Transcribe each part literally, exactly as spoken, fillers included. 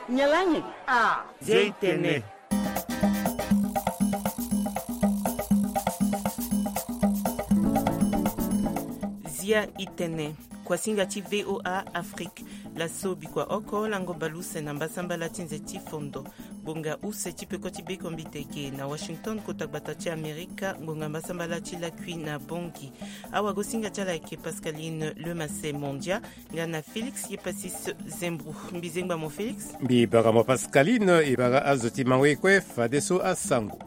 Nyalangi. Ah. Zia itene. Zia itene. Kuasinga ti V O A Afrique. Laso bikua oko lango baleuse na mbasambala ti nze ti fondo. Ngbonga use ti peko ti bekombiteke na Washington, kota gbata ti Amerika, ngbonga mbasambala ti lakui na Bangui. Awagosinga ti ala ayeke Pascaline Lemasse Mondia, nga na Félix Yepasis Zembro. Mbi zengba mo Félix. Mbi bara mo Pascaline, e bara azo ti mango ye kue fadeso asango.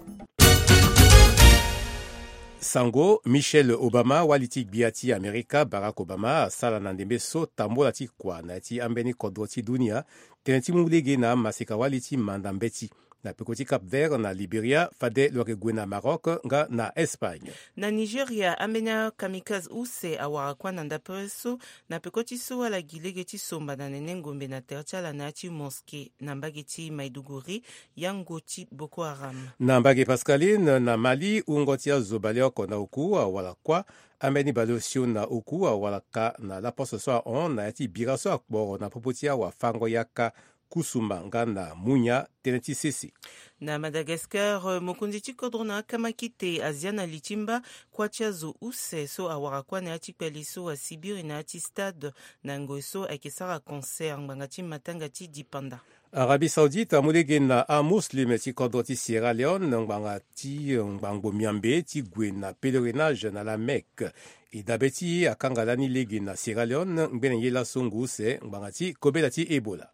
Sango, Michelle Obama, wali ti gbia ti Amerika, Barack Obama, asara na ndembe so tambola ti kua na ya ti ambeni kodro ti dunia, tënë ti mu lege na amaseka wali ti manda mbeti na peko ti Cap Vert na Liberia, fade lo yeke gue na Maroc nga na Espagne. Na Nigeria, ambeni akamikaze use awara kuâ na ndapere so, na peko ti so ala gi lege ti somba na nene ngombe na tere ti ala na ya ti mosquée na mbage ti Maiduguri, yango ti Boko Haram. Na mbage Pascaline, na Mali, wungo ti azo baleoko na oku awara kuâ. Ambeni baleosio na oku awara ka na laposte so ahon na ya ti bira so akporo na popo ti awafango yaka, kusuma nga na munya, tënë ti sese. Na Madagascar, mokonzi ti kodro na akamakite azia na li ti mba kuâ ti azo use so awara kuâ na ya ti kpale so asibiri na ya ti stade na ngoi so ayeke sara concert ngbanga ti matanga ti dipanda. Arabie Saoudite amu lege na amuslim ti kodro ti Sierra Leone ngbanga ti ngbangbo miambe ti gue na pèlerinage na la Mecque. E dabe ti e akanga lani lege na Sierra Leone ngbene ye laso ngu use ngbanga ti kobela ti Ebola.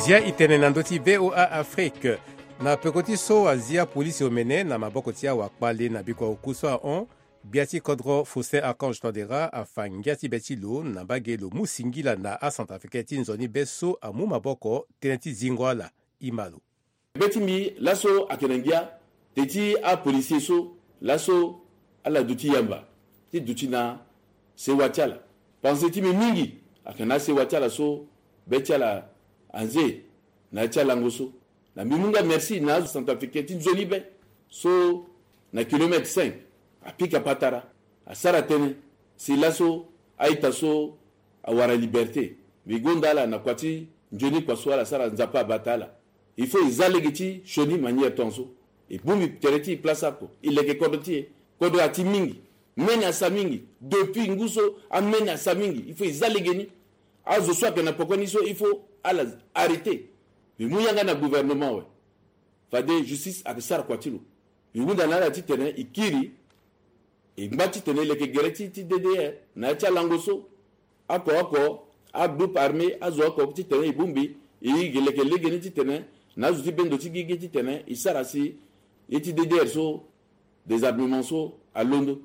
Zia itene na ndö ti V O A Afrique. Na peko ti so azia polisi omene na maboko ti awakpale na bikua oku so ahon, gbia ti kodro Faustin Archange Touadéra afa ngia ti be ti lo na mbage lo mu singila na acentrafricain ti nzoni be so amu maboko tënë ti zingo ala. Ima lo. Be ti mbi laso ayeke na ngia te ti apolisier so laso ala duti yamba ti duti na sewa ti ala. Panse ti mbi mingi ayeke na asewa ti ala so be ti ala anze na ya ti alango so. Na mbi mu nga merci na azo centrafricain ti nzoni be so na kilomètre cinq apika patara asara tënë si laso a-ita so awara liberté. Mbi gonda ala na kua ti nzoni kua so ala sara Nzapa abata ala. Il faut e za lege ti sioni manière tongaso. E bongbi tere ti e place oko e leke kodro ti e. Kodro ati mingi. Mene asa mingi. Depuis ngu so amene asa mingi. Il faut e za lege ni. Azo so ayeke na poko ni so il faut ala arrêter. Mbi mu yanga na gouvernement awe. Fade justice ayeke sara kua ti lo. Mbi hunda na ala titene e kiri e ngba titene e leke gere ti ti D D R na ya ti alango so. Oko oko agroupe armé azo oko titene e bongbi e yeke leke legeni titene na azo ti bendo ti gigi titene e sara si ye ti D D R so désarmement so alondo.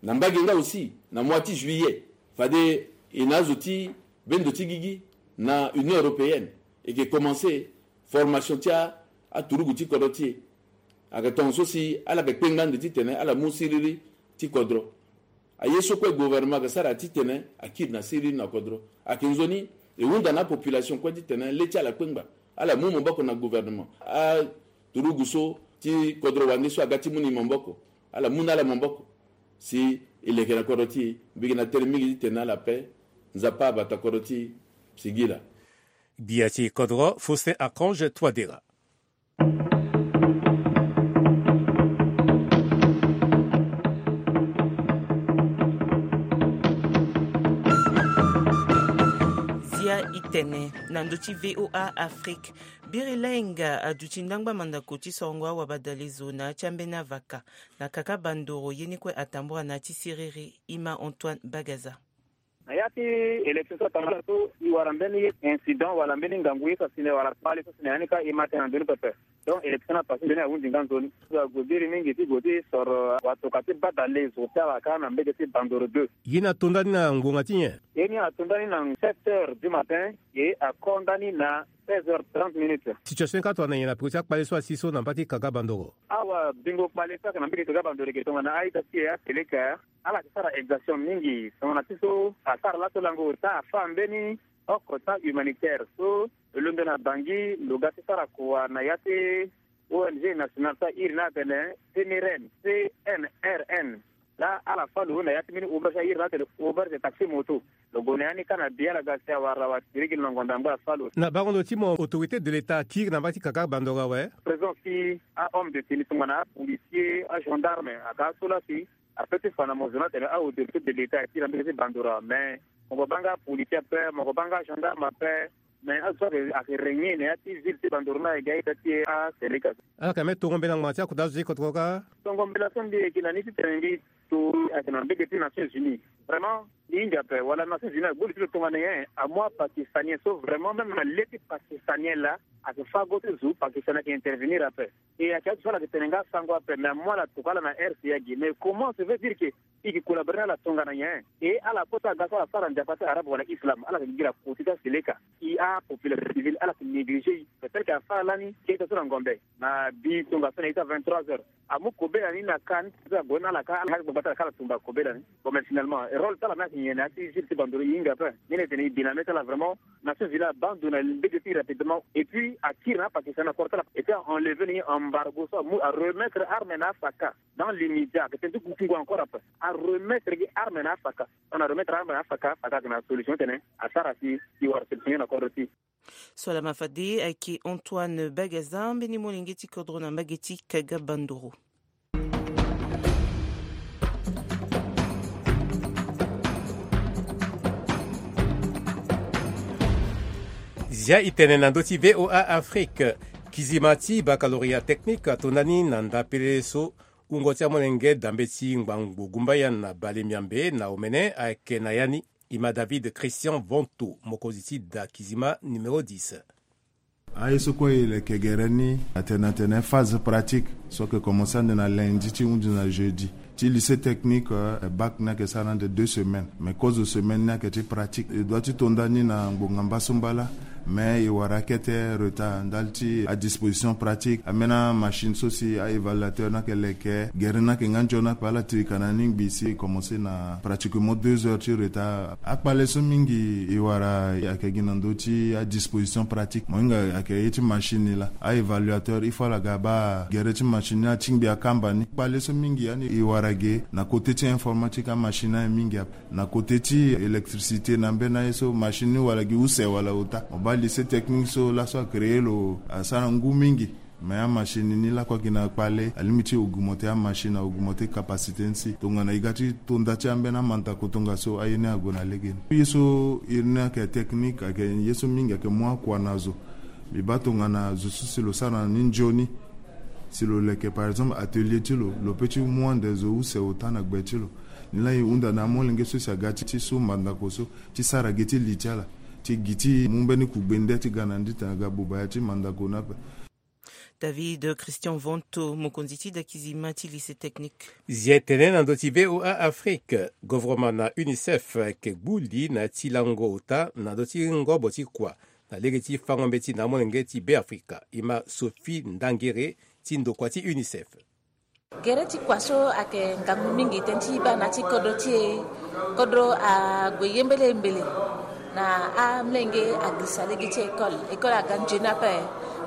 Na mbage nga aussi na mois ti juillet fade e na azo ti bendo ti gigi na Union européenne e yeke commencer formation ti a aturugu ti kodro ti e. Ayeke tongaso si ala yeke kpengba ande titene ala mu siriri ti kodro. Aye so kue gouvernement ayeke sara titene akiri na siriri na kodro. Ayeke nzoni e hunda na apopulation kue titene le ti ala akpengba. Ala mu maboko na gouvernement. Aturugu so ti kodro wande so aga ti mu ni maboko, ala mu na ala maboko si e leke na kodro ti e. Mbi yeke na tere mingi titene ala pe. Nzapa abata kodro ti e. Singila. Gbia ti kodro Faustin Archange Touadéra. Zia itene na ndö ti V O A Afrique. Biri lainga aduti ndangba mandako ti sorongo awabadalezo na ya ti ambeni avaka na kaka bandoro ye ni kue atambura na ya ti siriri. Ima Antoine Bagaza. Na ya ti élection so atambula so e wara mbeni incident wala mbeni ngangu ye so asi na e wala kpale so asi na e ya ni kâ e ma tënë na ndoni pepe. Donc élection ni apasé nzoni ahunzi nga nzoni. So ague biri mingi ti gue ti soro watoka ti badale zo ti ala kâ na mbege ti Bandoro deux. Ye ni ato ndani na ngbonga ti nyen? Ye ni ato ndani na sept heures du matin. Ye ako ndani na seize heures trente minutes. Situation ni kâ atongana nyen na peko ti akpale so asi so na mba ti Kaga Bandoro? Awa bingo kpale so ayeke na mbege Kaga Bandoro ayeke tongana a-ita ti e aseleka. Ala yeke sara exaction mingi. Tongana ti so asara laso lango ota afâ mbeni oko ti ahumanitaire so lo londo na Bangui lo ga ti sara kua na ya ti O N G nationale so airi ni atene C N R N, C N R N. Laa ala fâ lo na ya ti mbeni auberge, a iri na atene auberge taxi moto. Lo gue na ya ni kâ na bi ala ga si awara wa tirigi na ngombe angba afâ lo. Na bango ndo ti mo autorité de l'état akiri na mbage ti kaka bandoro awe. Présence ti ahomme de tenue tongana apolicier, agendarme aga so laa si ape ti fa na mo zo ni atene aautorité de l'état akiri na mbage ti bandoro awe. Mais mo gue baa nga apolicier ape, mo gue baa nga agendarme ape. Mais azo so ayeke régner na ya ti ville ti bandoro ni ayeke ga ita ti e aseleka. Ala yeke me tongo mbela ngbanga ti akota azo ti kotokota. Tongo mbela so mbi yeke na ni titene mbi to ayeke na mbage ti Nations Unies. Vraiment mbi hinga ape wala Nations Unies agbu li ti lo tongana nyen? Amu apakistanien so vraiment même na le ti pakistanien laa ayeke fâ go ti zo pakistanien ayeke intervenir ape. E ayeke azo so ala yeke tene nga asango ape mais amu ala tokua ala na R C A gi. Mais comment se veut dire que i yeke collaborer na ala tongana nyen? E ala kota aga so ala sara nzapa ti arabe wala islam ala yeke gi na kota ti aseleka. I apopulation civile ala yeke négliger i. Peut-être que afâ lani keta so na ngombe na bi tongaso na ita vingt-trois heures. Amu kobela ni na kâ ni ti ague na ala kâ ala nga ti gbagba ti ala kâ ala tumba kobela ni. Bon mais finalement rôle ti ala ni ayeke nyen na ya ti ville ti bandoro? I hinga ape. Ni na e tene i bi na mê ti ala vraiment Nations Unies abandon na lege ti rapidement et puis akiri na apakistanais na koro ti ala et puis a enlever na i embargo so amu aremettre arme na afaka dans l'immédiat. Ayeke tene ti kukungu encore ape aremettre gi arme na afaka. On aremettre arme na afaka, afaka ayeke na solution tene asara si i wara solution nyen na kodro ti. So lama fade ayeke Antoine Bagaza mbeni molenge ti kodro na mbage ti Kaga Bandoro. Zia i tene na ndö ti V O A Afrique. Kizima ti baccalauréat technique ato ndani na ndapele so wungo ti amolenge dambe ti ngbangbo gumbaya na bale miambe na omene ayeke na ya ni. Ima David Christian Vonto mokonzi ti da kizima numéro dix. Aye so kue e leke gere ni atene atene phase pratique so ayeke commencer ande na lundi ti hunzi na jeudi. Ti lycée technique, eh, bac ni ayeke sara ande deux semaines mais kozo semaine ni ayeke ti pratique. E doit ti to ndani na ngbonga mbasu mbala. Mais e wara akete retard ndali ti adisposition pratique ambeni amachine so si aévaluateur ni ayeke leke gere ni ayeke nga nzoni ape ala tirika na ni ngbii si e commencer na pratiquement deux heures ti retard. Akpale so mingi e wara ayeke gi na ndö ti adisposition pratique mo hinga ayeke ye ti machine ni laa. Aévaluateur il faut ala ga baa gere ti machine ni atingbi akamba ni. Akpale so mingi yani e wara ge na côté ti informatique amachine ni aye mingi ape. Na côté ti électricité na mbeni aye so machine ni wala gi use wala ota. Mo baa lycée technique so laso acréer lo asara ngu mingi. Mais amachine ni lakue ayeke na kpale alingbi ti augmenter amachine, augmenter capacité ni si tongana e ga ti to nda ti ambeni amandako tongaso aye ni ague na lege ni. Ye so iri ni ayeke technique ayeke ye so mingi ayeke mu akua na zo. Mbi baa tongana zo so si lo sara na ni nzoni si lo leke par exemple atelier ti lo lo peut ti mu ande zo use ota na gbe ti lo. Ni laa e hunda na amolenge so si aga ti so mandako so ti sara gi ti li ti ala ti gi ti mu mbeni kugbe nde ti ga na ndi tene aga buba ya ti mandako ni ape. David Christian Vonto mokonzi ti dakizima ti lycée technique. Zi etene na ndö ti VOA Afrique, govoroma na UNICEF ayeke gbu li na ya ti lango ota na ndö ti ngobo ti kua na lege ti fango mbeti na amolenge ti Beafrika. Ima Sophie Ndangere ti ndokua ti UNICEF. Gere ti kua so ayeke ngangu mingi tënë ti e baa na ya ti kodro ti e. Kodro ague yembele mbele na amolenge agirisa lege ti école. École aga nzoni ape.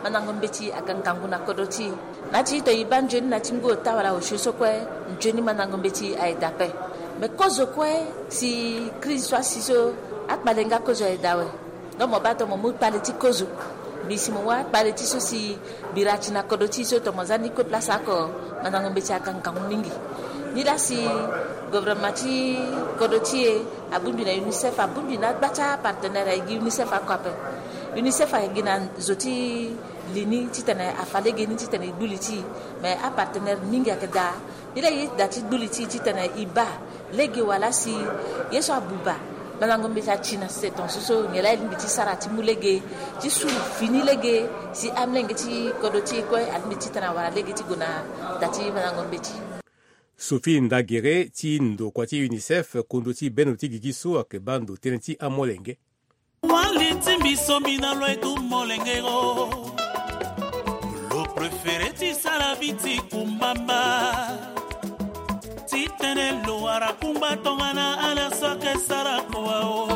Mandango mbeti aga ngangu na kodro ti e. Na ya ti ito e baa nzoni na ya ti ngu ota wala osio so kue, nzoni mandango mbeti aye daa ape. Me kozo kue si crise so asi so akpale nga kozo aye daa awe. Donc mo baa tongana mo mu kpale ti kozo, mbi si mo wâ kpale ti so si bira ti na kodro ti e so tongana mo za ni kue place oko, mandango mbeti aga ngangu mingi. Ni laa si gouvernement ti kodro ti e abongbi na UNICEF, abongbi na agba ti apartenaire aye gi UNICEF oko ape. UNICEF aye gi na zo ti li ni titene afa lege ni titene e gbu li ti e. Mais apartenaire mingi ayeke daa. Ni laa e da ti gbu li ti e titene e baa lege wala si ye so abuba mandango mbeti ati na sese tongaso so nyen laa e lingbi ti sara ti mu lege ti su fini lege si amolenge ti kodro ti e kue alingbi titene awara lege ti gue na da ti mandango mbeti. Sophie Ndagere ti ndokua ti UNICEF, kondo ti bendo ti gigi so ayeke baa ndo tënë ti amolenge. Wali ti mbi so mbi na lo etu molenge o. Lo préféré ti sara vi ti kumbamba. Titene lo wara kungba tongana ala so ayeke sara kua o.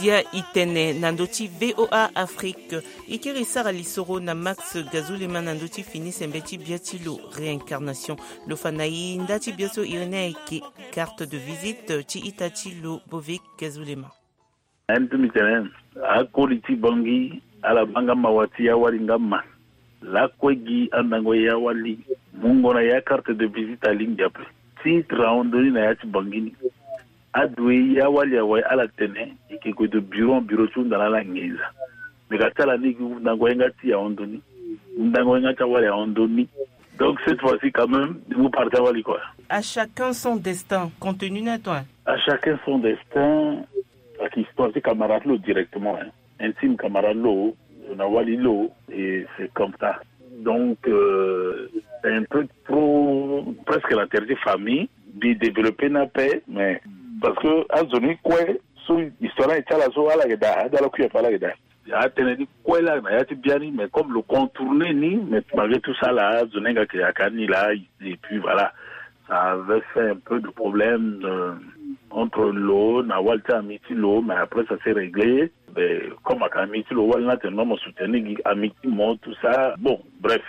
Ya i tene na ndö ti VOA Afrique. I kiri sara lisoro na Max Gazulema na ndö ti fini sembe ti bia ti lo réincarnation. Lo fa na i nda ti bia so iri ni ayeke carte de visite ti ita ti lo Bovic Gazulema. Ayen ti mbi tene akoli ti Bangui ala baa nga mawa ti ya wali nga ma. Lakue gi andango ya wali mungo na ya carte de visite alingbi ape. Titre ahon ndoni na ya ti Bangui ni. Adoue ya wali awe ala tene e ke gue de bureau en bureau ti hunda na ala nginza. Me ka ti ala ni gi hundango ye nga ti ahon ndoni. Hundango ye nga ti awali ahon ndoni. Donc cette fois-ci quand même ni mu parti awali quoi. À chacun son destin, continue na toi. À chacun son destin. Ayeke histoire ti camarade lo directement, hein. Intime camarade lo, lo na wali lo, et c'est comme ça. Donc euh, c'est un truc trop presque la terre de famille. Bi développer na paix, mais parce que azo ni kue so histoire ni ti ala so ala yeke daa, adala kui ape ala yeke daa. Atene ni kue laa na ya ti biani, mais comme lo contourner ni, mais malgré tout ça là, azo ni nga ke aka ni laa. Et puis voilà, ça avait fait un peu de problème euh, entre lo na wali ti ami ti lo, mais après ça s'est réglé. Mais comme aka ami ti lo, wali ni atene non, mo soutenir gi ami ti mo, tout ça, bon, bref.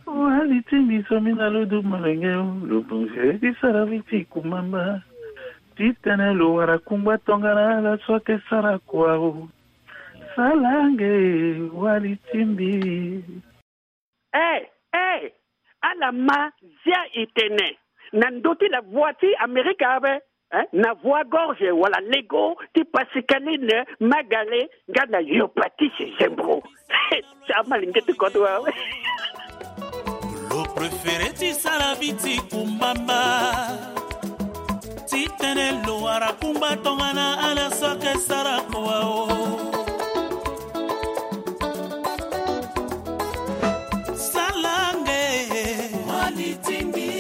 Wali ti mbi so mi na lo du malenge o, lo bongé ti sara vi ti kumamba. Ti tene lo wara kungba tongana ala so ake sara kua o. Sala nge wali ti mbi. Eh, eh, ala ma zia i tene na ndö ti la voix ti Amerika ape, eh, na voix gorge wala lego ti Pascaline Magale nga na Yopatis Zembro. Ti amalenge ti kodro awe. Lo préféré ti sara vi ti kumbamba. Ti tene lo wara kungba tongana ala so ake sara kua o. Sala nge wali ti mbi.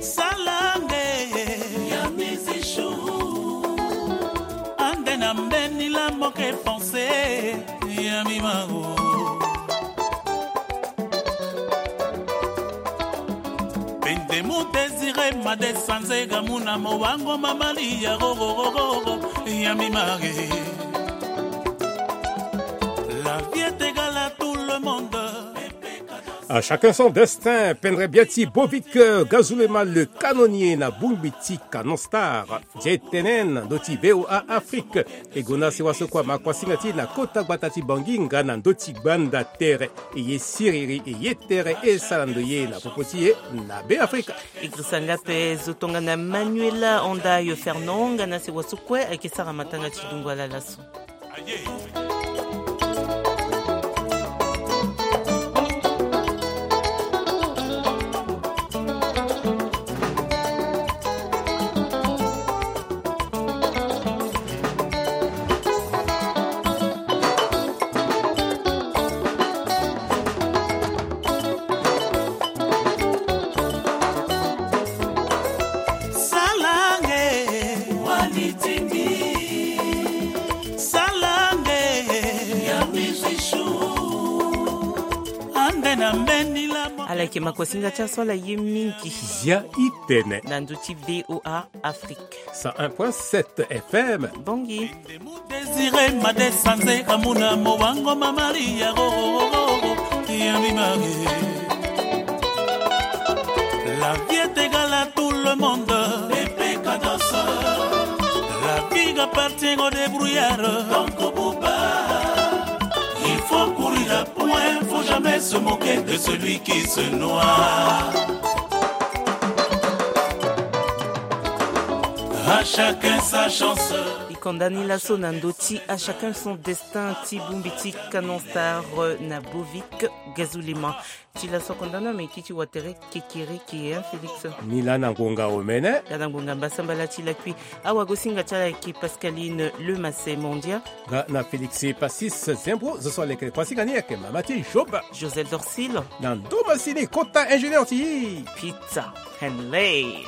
Sala nge ya mizishu. Ande na mbeni la moke pensé ya mi mago. Pendemu désiré ma desanze ga mu na mowango ma mali ya rorororo ya mi mare. La vie est égale à tout le monde. À chacun son destin, pendre bia ti Bovic, euh, Gazulema le canonnier na bongbi ti Canon Star. Zie tene na ndö ti VOA Afrique. E gonda sewa so kue ama kuasinga ti e na kota gbata ti Bangui nga na ndö ti gbanda tere. E ye siriri e ye tere e sara ndoye na popo ti e na Be Afrika. E girisa nga ape zo tongana Manuela Andayo Fernand nga na sewa so kue ayeke sara matanga ti dungo ala laso. Sala nge wali ti mbi. Sala nge ya mizishu. Ande na mbeni la mo. Ala yeke makosinga ti aso ala ye mingi. Zia i tene na ndö ti VOA Afrique. Cent un point sept F M. Bongi. Désiré ma desanze kamuna mowango ma Maria rorororo ya mi mare. La vie est égale à tout le monde. Pepe Kados. La vie appartient aux débrouillards. Donc Bouba, il faut courir à point, faut jamais se moquer de celui qui se noie. À chacun sa chance. E konda ni laso na ndö ti à chacun son destin ti bongbi ti Canon Star, euh, na Bovic Gazulema. Ti laso konda ni ameki ti watere kekereke, hein, Félix? Ni laa na ngonga omene. Nga na ngonga mbasambala ti lakui. Awagosinga ti ala ayeke Pascaline Lemasse Mondia. Nga na Félix Passis Zembro, zo so alekere kuasinga ni ayeke mama ti Job. Joseph Dorsil. Na ndo masini kota ingénieur ti Peter Henley.